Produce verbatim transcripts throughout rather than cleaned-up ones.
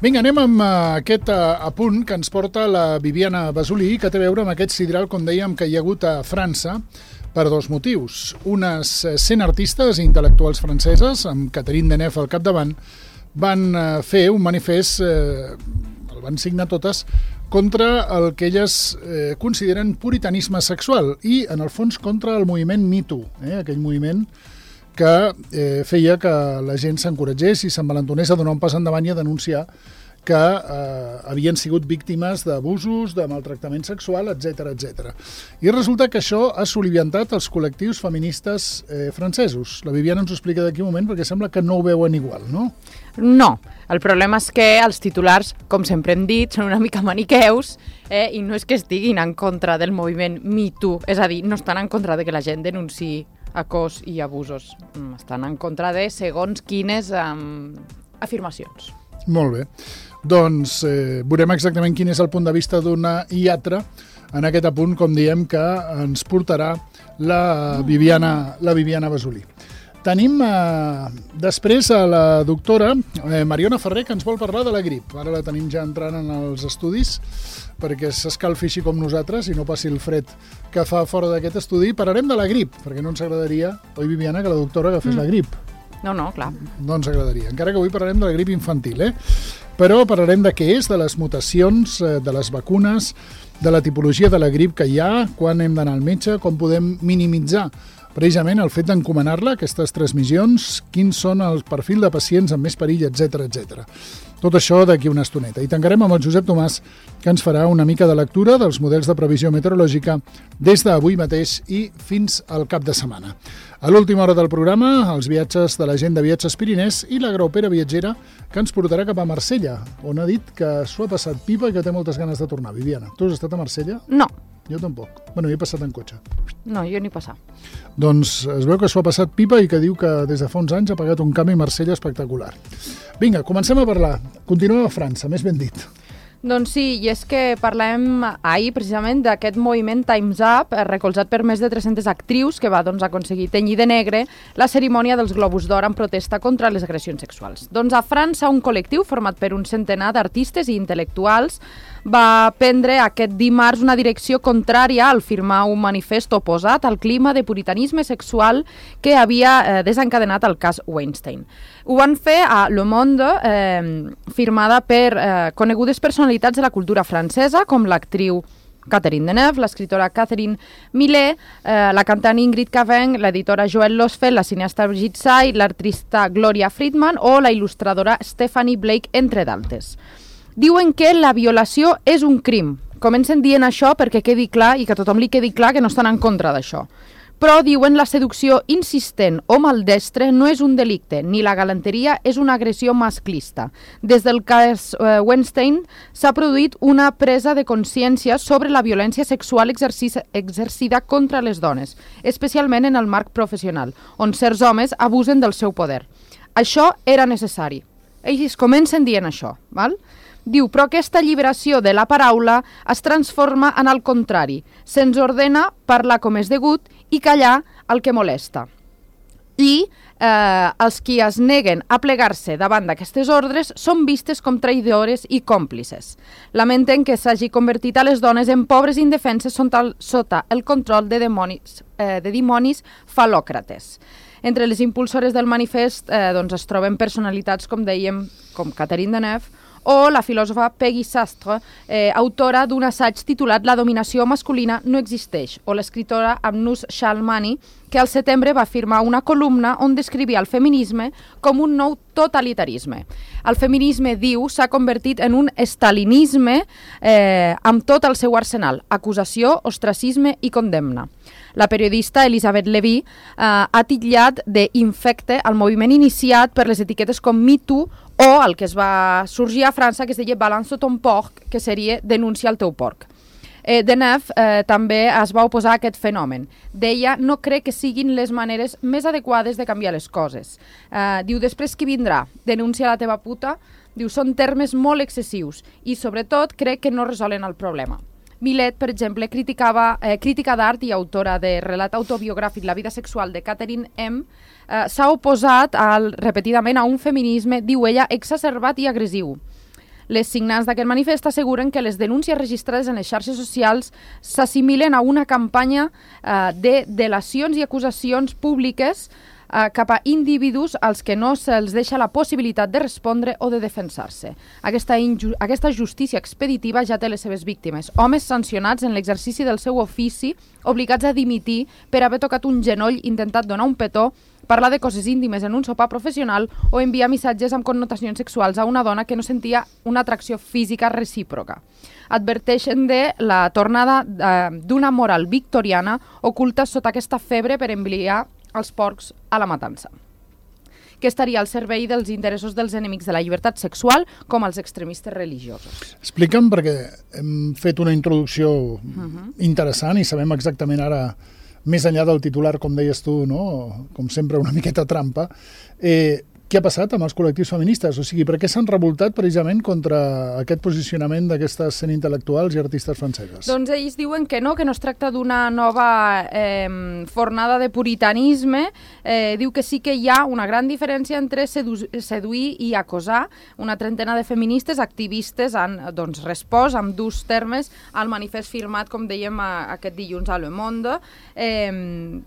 Vinga, anem amb aquest apunt que ens porta la Viviana Basulí, que té a veure amb aquest sideral, com dèiem, que hi ha hagut a França per dos motius. Unes cent artistes i intel·lectuals franceses, amb Catherine Deneuve al capdavant, van fer un manifest, eh, el van signar totes, contra el que elles eh, consideren puritanisme sexual i, en el fons, contra el moviment Me Too, eh, aquell moviment que eh, feia que la gent s'encoratgés i s'envalentonés a donar un pas endavant i a denunciar que eh, havien sigut víctimes d'abusos, de maltractament sexual, etcètera, etcètera. I resulta que això ha soliviantat els col·lectius feministes eh, francesos. La Viviana ens ho explica d'aquí un moment perquè sembla que no ho veuen igual, no? No, el problema és que els titulars, com sempre hem dit, són una mica maniqueus eh, i no és que estiguin en contra del moviment Me Too, és a dir, no estan en contra de que la gent denunciï acós i abusos, estan en contra de segons quines um, afirmacions. Molt bé. Doncs eh, veurem exactament quin és el punt de vista d'una i altra en aquest apunt, com diem, que ens portarà la Viviana, la Viviana Basulí. Tenim eh, després a la doctora eh, Mariona Ferrer, que ens vol parlar de la grip. Ara la tenim ja entrant en els estudis perquè s'escalfi així com nosaltres i no passi el fred que fa fora d'aquest estudi. Parlarem de la grip, perquè no ens agradaria, oi Viviana, que la doctora agafés mm. la grip. No, no, clar. No ens agradaria, encara que avui parlarem de la grip infantil, eh? Però parlarem de què és, de les mutacions, de les vacunes, de la tipologia de la grip que hi ha, quan hem d'anar al metge, com podem minimitzar precisament el fet d'encomanar-la, aquestes transmissions, quins són els perfils de pacients amb més perill, etcètera, etcètera. Tot això d'aquí una estoneta. I tancarem amb el Josep Tomàs, que ens farà una mica de lectura dels models de previsió meteorològica des d'avui mateix i fins al cap de setmana. A l'última hora del programa, els viatges de la gent de Viatges Pirinès i la graupera viatgera que ens portarà cap a Marsella, on ha dit que s'ho ha passat pipa i que té moltes ganes de tornar. Viviana, tu has estat a Marsella? No. Jo tampoc. Bueno, jo he passat en cotxe. No, jo ni passar. Doncs es veu que s'ho ha passat pipa i que diu que des de fa uns anys ha pagat un canvi a Marsella espectacular. Vinga, comencem a parlar. Continuem a França, més ben dit. Doncs sí, i és que parlem ahir precisament d'aquest moviment Time's Up, recolzat per més de tres-centes actrius, que va doncs, aconseguir tenyir de negre la cerimònia dels Globus d'Or en protesta contra les agressions sexuals. Doncs a França, un col·lectiu format per un centenar d'artistes i intel·lectuals va prendre aquest dimarts una direcció contrària al firmar un manifest oposat al clima de puritanisme sexual que havia eh, desencadenat el cas Weinstein. Ho van fer a Le Monde, eh, firmada per eh, conegudes personalitats de la cultura francesa, com l'actriu Catherine Deneuve, l'escriptora Catherine Millet, eh, la cantant Ingrid Caveng, l'editora Joëlle Losfeld, la cineasta Brigitte Say, l'artista Gloria Friedman o la il·lustradora Stephanie Blake, entre d'altres. Diuen que la violació és un crim. Comencen dient això perquè quedi clar i que a tothom li quedi clar que no estan en contra d'això. Però diuen la seducció insistent o maldestre no és un delicte, ni la galanteria és una agressió masclista. Des del cas eh, Weinstein s'ha produït una presa de consciència sobre la violència sexual exercida contra les dones, especialment en el marc professional, on certs homes abusen del seu poder. Això era necessari. Ells comencen dient això, val? Diu, però aquesta alliberació de la paraula es transforma en el contrari. Se'ns ordena parlar com és degut i callar el que molesta. I eh, els qui es neguen a plegar-se davant d'aquestes ordres són vistes com traïdores i còmplices. Lamenten que s'hagi convertit a les dones en pobres indefenses sota el control de dimonis, eh, de dimonis falòcrates. Entre les impulsores del manifest eh, doncs es troben personalitats, com dèiem, com Catherine Deneuve, o la filòsofa Peggy Sastre, eh, autora d'un assaig titulat La dominació masculina no existeix, o l'escriptora Amnous Shalmani, que al setembre va firmar una columna on descrivia el feminisme com un nou totalitarisme. El feminisme, diu, s'ha convertit en un estalinisme eh, amb tot el seu arsenal, acusació, ostracisme i condemna. La periodista Elisabeth Levy eh, ha titllat d'infecte el moviment iniciat per les etiquetes com Me Too o el que es va sorgir a França, que es deia Balance ton porc, que seria denuncia el teu porc. Eh, Deneuve eh, també es va oposar a aquest fenomen. Deia, no crec que siguin les maneres més adequades de canviar les coses. Eh, diu, després qui vindrà? Denuncia la teva puta? Diu, són termes molt excessius i, sobretot, crec que no resolen el problema. Millet, per exemple, criticava, eh, crítica d'art i autora de relat autobiogràfic La vida sexual de Catherine M., eh, s'ha oposat al, repetidament a un feminisme, diu ella, exacerbat i agressiu. Les signants d'aquest manifest asseguren que les denúncies registrades en les xarxes socials s'assimilen a una campanya eh, de delacions i acusacions públiques eh, cap a individus als que no se'ls deixa la possibilitat de respondre o de defensar-se. Aquesta, aquesta justícia expeditiva ja té les seves víctimes, homes sancionats en l'exercici del seu ofici, obligats a dimitir per haver tocat un genoll, intentat donar un petó, parlar de coses íntimes en un sopar professional o enviar missatges amb connotacions sexuals a una dona que no sentia una atracció física recíproca. Adverteixen de la tornada eh, d'una moral victoriana oculta sota aquesta febre per enviar els porcs a la matança, que estaria al servei dels interessos dels enemics de la llibertat sexual com els extremistes religiosos. Explica'm, perquè hem fet una introducció uh-huh. interessant i sabem exactament ara, més enllà del titular, com deies tu, no? Com sempre una miqueta trampa, eh, què ha passat amb els col·lectius feministes? O sigui, per què s'han revoltat precisament contra aquest posicionament d'aquestes cent intel·lectuals i artistes franceses? Doncs ells diuen que no, que no es tracta d'una nova eh, fornada de puritanisme. Eh, diu que sí que hi ha una gran diferència entre sedu seduir i acosar. Una trentena de feministes activistes han doncs, respost amb durs termes al manifest firmat, com dèiem, a, aquest dilluns a Le Monde. Eh,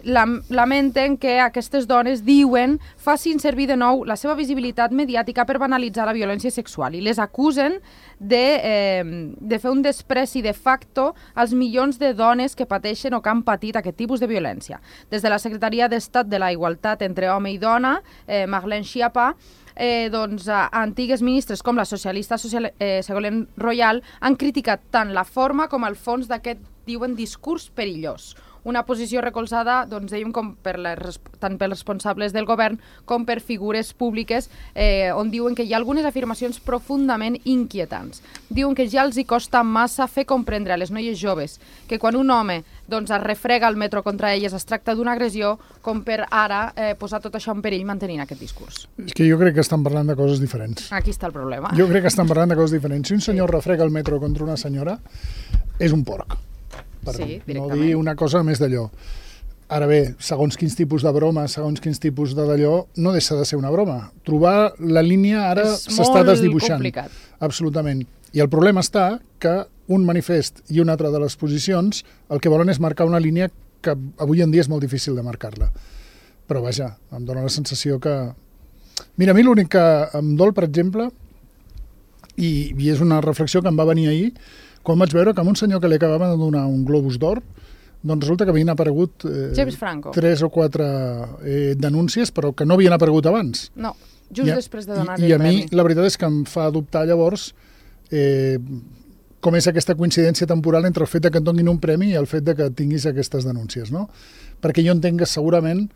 Lamenten que aquestes dones, diuen, facin servir de nou la seva visibilitat mediàtica per banalitzar la violència sexual i les acusen de, eh, de fer un despreci de facto als milions de dones que pateixen o que han patit aquest tipus de violència. Des de la Secretaria d'Estat de la Igualtat entre home i dona, eh, Marlène Schiappa, Eh, doncs, eh, antigues ministres com la socialista social, eh, Ségolène Royal han criticat tant la forma com el fons d'aquest, diuen, discurs perillós. Una posició recolzada, doncs, dèiem, com per les, tant pels responsables del govern com per figures públiques, eh, on diuen que hi ha algunes afirmacions profundament inquietants. Diuen que ja els hi costa massa fer comprendre a les noies joves que quan un home doncs, es refrega al metro contra elles es tracta d'una agressió, com per ara eh, posar tot això en perill mantenint aquest discurs. És que jo crec que estan parlant de coses diferents. Aquí està el problema. Jo crec que estan parlant de coses diferents. Si un senyor sí. refrega el metro contra una senyora, és un porc. Per sí, no dir una cosa més d'allò. Ara bé, segons quins tipus de broma, segons quins tipus de d'allò, no deixa de ser una broma. Trobar la línia ara s'està desdibuixant. És molt complicat. Absolutament. I el problema està que un manifest i una altra de les posicions el que volen és marcar una línia que avui en dia és molt difícil de marcar-la. Però vaja, em dóna la sensació que... Mira, a mi l'únic que em dol, per exemple, i, i és una reflexió que em va venir ahir, quan vaig veure que a un senyor que li acabaven de donar un Globus d'Or, doncs resulta que havien aparegut eh, James Franco. tres o quatre eh, denúncies, però que no havien aparegut abans. No, just I, després de donar-li el premi. I a mi, premi. la veritat és que em fa dubtar llavors eh, com és aquesta coincidència temporal entre el fet de que et donin un premi i el fet de que tinguis aquestes denúncies, no? Perquè jo entenc que segurament,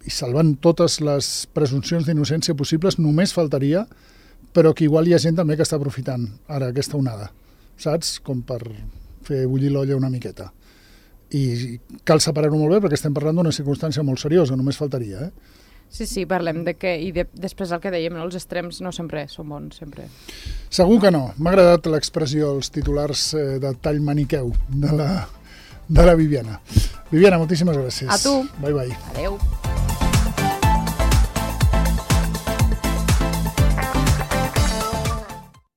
i salvant totes les presumpcions d'innocència possibles, només faltaria, però que igual hi ha gent també que està aprofitant ara aquesta onada, saps? Com per fer bullir l'olla una miqueta. I cal separar-ho molt bé perquè estem parlant d'una circumstància molt seriosa, només faltaria, eh? Sí, sí, parlem de que, i de, després el que dèiem, no? Els extrems no sempre són bons, sempre. Segur que no. M'ha agradat l'expressió, els titulars eh, de tall maniqueu de la, de la Viviana. Viviana, moltíssimes gràcies. A tu. Bye, bye. Adeu.